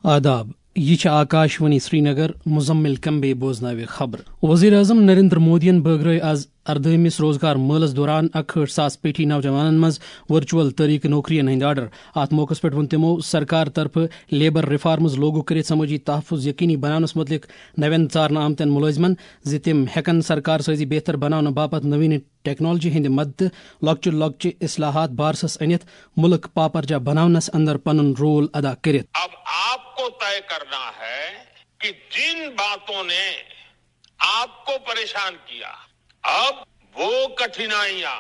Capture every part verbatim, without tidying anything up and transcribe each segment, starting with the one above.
آداب، یہِ چھِ آکاشوانی سرینگر، مزمل کمبے بوزناوِ خبر۔ وزیر اعظم نریندر مودیَن بٲگرٲوۍ آز اردٲہمِس روزگار مٲلَس دوران اکہٲٹھ ساس پیٹھی نوجوانَن منٛز ورچوئل طریقہٕ نوکرین ہٕنٛدۍ آرڈر۔ اَتھ موقعَس پٮ۪ٹھ ووٚن تِمو سرکار طرفہٕ لیبر ریفارمز لاگو کٔرِتھ سمٲجی تحفظ یقینی بناونَس مُتعلِق نوٮ۪ن ژارنہٕ آمتٮ۪ن مُلٲزمَن زِ تِم ہٮ۪کَن سرکار سٲزی بہتر بناونہٕ باپتھ نوین ٹیکنالوجی ہٕنٛدِ مدتہٕ لۄکچہِ لۄکچہِ اصلاحات بارسَس أنِتھ مُلک پاپرجا بناونَس اندر پنُن رول ادا کٔرِتھ۔ اب آپ کو طے کرنا ہے کہ جن باتوں نے آپ کو پریشان کیا، اب وہ کٹھنائیاں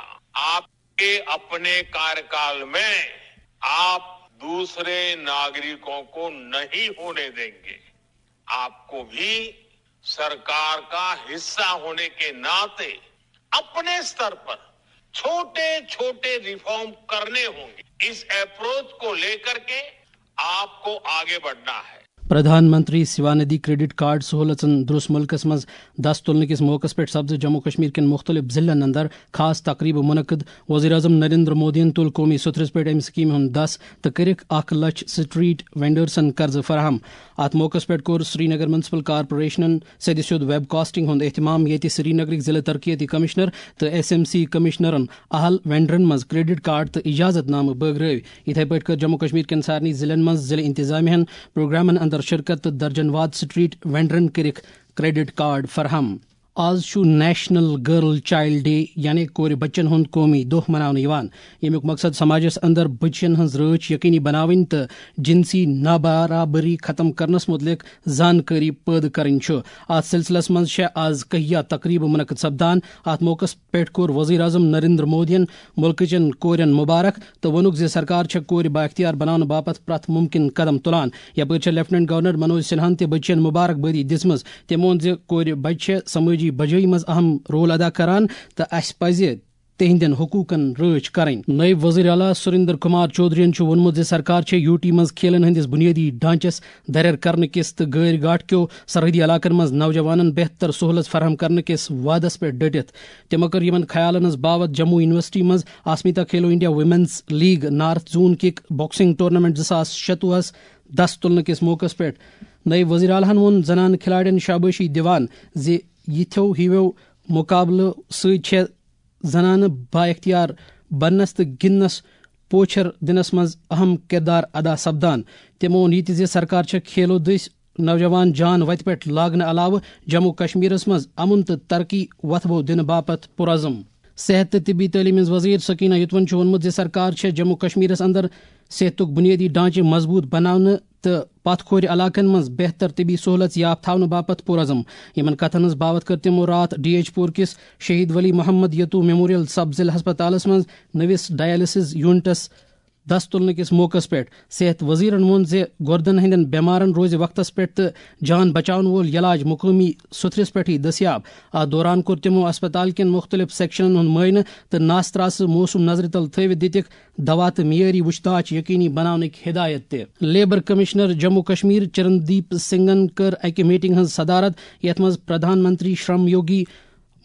آپ کے اپنے کارکال میں آپ دوسرے ناگرکوں کو نہیں ہونے دیں گے۔ آپ کو بھی سرکار کا حصہ ہونے کے ناطے اپنے स्तर पर छोटे छोटे रिफॉर्म करने होंगे। इस अप्रोच को लेकर के आपको आगे बढ़ना है। پردھان منتری سیوانِدھی کریڈٹ کارڈ سہولژن دروٚس مُلکس منٛز دس تُلنہٕ کِس موقعس پٮ۪ٹھ سپدٕ جموں کشمیر کٮ۪ن مُختٔلِف ضلعن اندر خاص تقریبہٕ منعقد۔ وزیر اعظم نریندر مودیَن تُل قومی سوٚتھرِس پٮ۪ٹھ اَمہِ سکیٖمہِ ہُنٛد دس تہٕ کٔرِکھ اکھ لچھ سٹریٹ وینڈرسن قرضہٕ فراہم۔ اتھ موقعس پٮ۪ٹھ کوٚر سرینگر میونسپل کارپوریشنن سیٚدِ سیوٚد ویب کاسٹنگ ہُنٛد اہتمام، ییٚتہِ سرینگرٕکۍ ضلع ترقیتی کمشنر تہٕ ایس ایم سی کمشنرن اہل وینڈرن منٛز کریڈٹ کارڈ تہٕ اجازت نامہٕ بٲگرٲوۍ۔ یِتھے پٲٹھۍ کٔر جموں کشمیر کٮ۪ن سارنٕے ضلعن منٛز ضلع انتظامیہ ہن پروگرامن اندر شرکت تہٕ درجن واد سٹریٹ وینڈرن کٔرِکھ کریڈٹ کارڈ فراہم۔ آز چھُ نیشنل گرل چائلڈ ڈے، یعنی کورِ بچن ہُنٛد قومی دۄہ مناونہٕ یِوان، ییٚمیُک مقصد سماجس اندر بچن ہٕنٛز رٲچھ یقینی بناوٕنۍ تہٕ جنسی نابرابری ختم کرنس مُتعلق زانکٲری پٲدٕ کرٕنۍ چھُ۔ اتھ سلسلس منٛز چھےٚ آز کہیا تقریبہٕ منعقد سپدان۔ اتھ موقعس پٮ۪ٹھ کوٚر وزیر اعظم نریندر مودیَن مُلکٕچٮ۪ن کورٮ۪ن مبارک تہٕ ووٚنُکھ زِ سرکار چھےٚ کورِ بااختیار بناونہٕ باپتھ پرٛٮ۪تھ مُمکِن قدم تُلان۔ یپٲرۍ چھےٚ لیفٹیننٹ گورنر منوج سنہاہَن تہِ بچین مبارک بٲدی دِژمٕژ۔ تٔمۍ ووٚن زِ کورِ بچہِ چھےٚ سمٲجی بجٲیی منٛز اہم رول ادا کران تہٕ اسہِ پزِ تِہنٛدٮ۪ن حقوٗقن رٲچھ کرٕنۍ۔ نٲیِب وزیر اعلیٰ سریندر کمار چودھرین چھُ ووٚنمُت زِ سرکار چھےٚ یو ٹی منٛز کھیلن ہٕنٛدِس بُنیٲدی ڈھانچس دریر کرنہٕ کِس تہٕ گٲرۍ گاٹھ کیو سرحدی علاقن منٛز نوجوانن بہتر سہولت فراہم کرنہٕ کِس وعدس پٮ۪ٹھ ڈٔٹِتھ۔ تِمو کٔر یِمن خیالن ہٕنٛز باوتھ جموں یونیورسٹی منٛز آسمیتا کھیلو انڈیا ویمنز لیگ نارتھ زون کِک باکسنگ ٹورنامنٹ زٕ ساس شتوُہس دس تُلنہٕ کِس موقعس پٮ۪ٹھ۔ نٲیِب وزیر اعلیٰ ہن ووٚن زنانہٕ کھلاڑٮ۪ن شابٲشی دِوان زِ یِتھیو ہِویو مقابلہٕ سۭتۍ چھےٚ زنانہٕ بااختیار بننس تہٕ گِنٛدنس پوچھر دِنس منٛز اہم کردار ادا سپدان۔ تِمو ووٚن یہِ تہِ زِ سرکار چھےٚ کھیلو دٔسۍ نوجوان جان وتہِ پٮ۪ٹھ لاگنہٕ علاوٕ جموں کشمیرس منٛز امن تہٕ ترقی وۄتھبو دِنہٕ باپتھ پُرعزم۔ صحت تہٕ طبی تعلیٖم ہٕنٛز وزیر سکینہ یتون چھُ ووٚنمُت زِ سرکار چھےٚ جموں کشمیرس اندر صحتُک بُنیٲدی ڈھانچہٕ مضبوٗط بناونہٕ تہٕ پتھ کھورِ علاقن منٛز بہتر طبی سہولژ یاب تھاونہٕ باپتھ پُرعزم۔ یِمن کتھن ہٕنٛز باوتھ کٔر تِمو راتھ ڈی ایچ پور کِس شہید ولی محمد یتو میموریل سب ضلع ہسپتالس منٛز نٔوِس ڈائلسس یونٹس دس تُلنہٕ کِس موقعس پٮ۪ٹھ۔ صحت وزیرن ووٚن زِ گردن ہٕنٛدٮ۪ن بٮ۪مارن روزِ وقتس پٮ۪ٹھ تہٕ جان بچاون وول علاج مقٲمی سوٚتھرِس پٮ۪ٹھٕے دٔستیاب۔ اتھ دوران کوٚر تِمو اسپتال کٮ۪ن مُختٔلِف سیکشنن ہُنٛد معائنہٕ تہٕ ناس ترٛاسہٕ موسم نظرِ تل تھٲوِتھ دِتِکھ دوا تہٕ معیٲری وُچھتاچ یقینی بناونٕکۍ ہدایت تہِ۔ لیبر کمشنر جموں کشمیر چرندیپ سنگھن کٔر اکہِ میٹنگ ہٕنٛز صدارت، یتھ منٛز پردھان منتری شرم یوگی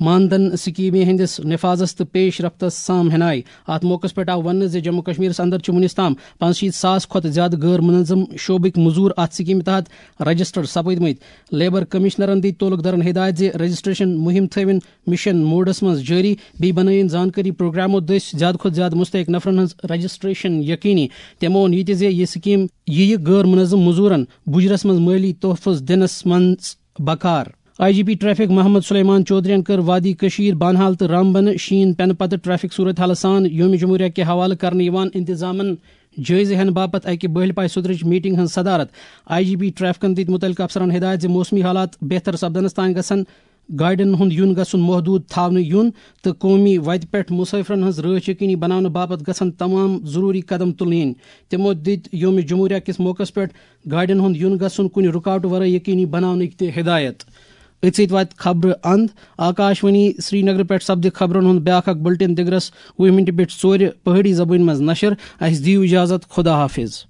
ماندھن سکیمہِ ہٕنٛدِس نفاذس تہٕ پیش رفتس سام ہنائی۔ اتھ موقعس پٮ۪ٹھ آو وننہٕ زِ جموں کشمیرس اندر چھِ وُنیُس تام پانٛژھ شیٖتھ ساس کھۄتہٕ زیادٕ غٲر منظم شعبٕکۍ مٔزوٗر اتھ سکیمہِ تحت رجسٹرڈ سپٕدمٕتۍ۔ لیبر کمشنرن دِتۍ تعلق دارن ہدایت زِ رجسٹریشن مُہِم تھٲوِن مشن موڈس منٛز جٲری، بیٚیہِ بنٲوِن زانکٲری پروگرامو دٔسۍ زیادٕ کھۄتہٕ زیادٕ مستحق نفرن ہٕنٛز رجسٹریشن یقینی۔ تِمو ووٚن یہِ تہِ زِ یہِ سکیٖم یِیہِ غٲر منظم مٔزوٗرن بُجرس منٛز مٲلی تحفظ دِنس منٛز بکار۔ I G P traffic Mohammad Suleman چودھرین کٔر وادی کشیر، بانہال تہٕ رامبن شیٖن پٮ۪نہٕ پتہٕ ٹریفک صورت حالس سان یوم جمہوریہ کہِ حوالہٕ کرنہٕ یِوان انتظامن جٲیزٕ ہٮ۪نہٕ باپتھ اکہِ بٔہلۍ پایہِ سُترٕچ میٹنگ ہٕنٛز صدارت۔ آئی جی پی ٹریفکن دِتۍ مُتعلقہٕ افسرن ہدایت زِ موسمی حالات بہتر سپدنس تام گژھن گاڑٮ۪ن ہُنٛد یُن گژھُن محدوٗد تھاونہٕ یُن تہٕ قومی وتہِ پٮ۪ٹھ مسافرن ہٕنٛز رٲچھ یقینی بناونہٕ باپتھ گژھن تمام ضروٗری قدم تُلنہٕ یِنۍ۔ تِمو دِتۍ یوم جمہوریہ کِس موقعس پٮ۪ٹھ گاڑٮ۪ن ہُنٛد یُن گژھُن کُنہِ رُکاوٹہٕ ورٲے یقینی بناونٕکۍ تہِ ہدایت۔ أتھۍ سۭتۍ واتہِ خبرٕ اند۔ آکاشوانی سرینگر پٮ۪ٹھ سپدِ خبرن ہُنٛد بیٛاکھ اکھ بلٹن دِگرس وُہہِ مِنٹہِ پٮ۪ٹھ ژورِ پہٲڑی زبٲنۍ منٛز نشر۔ اسہِ دِیِو اجازت، خدا حافظ۔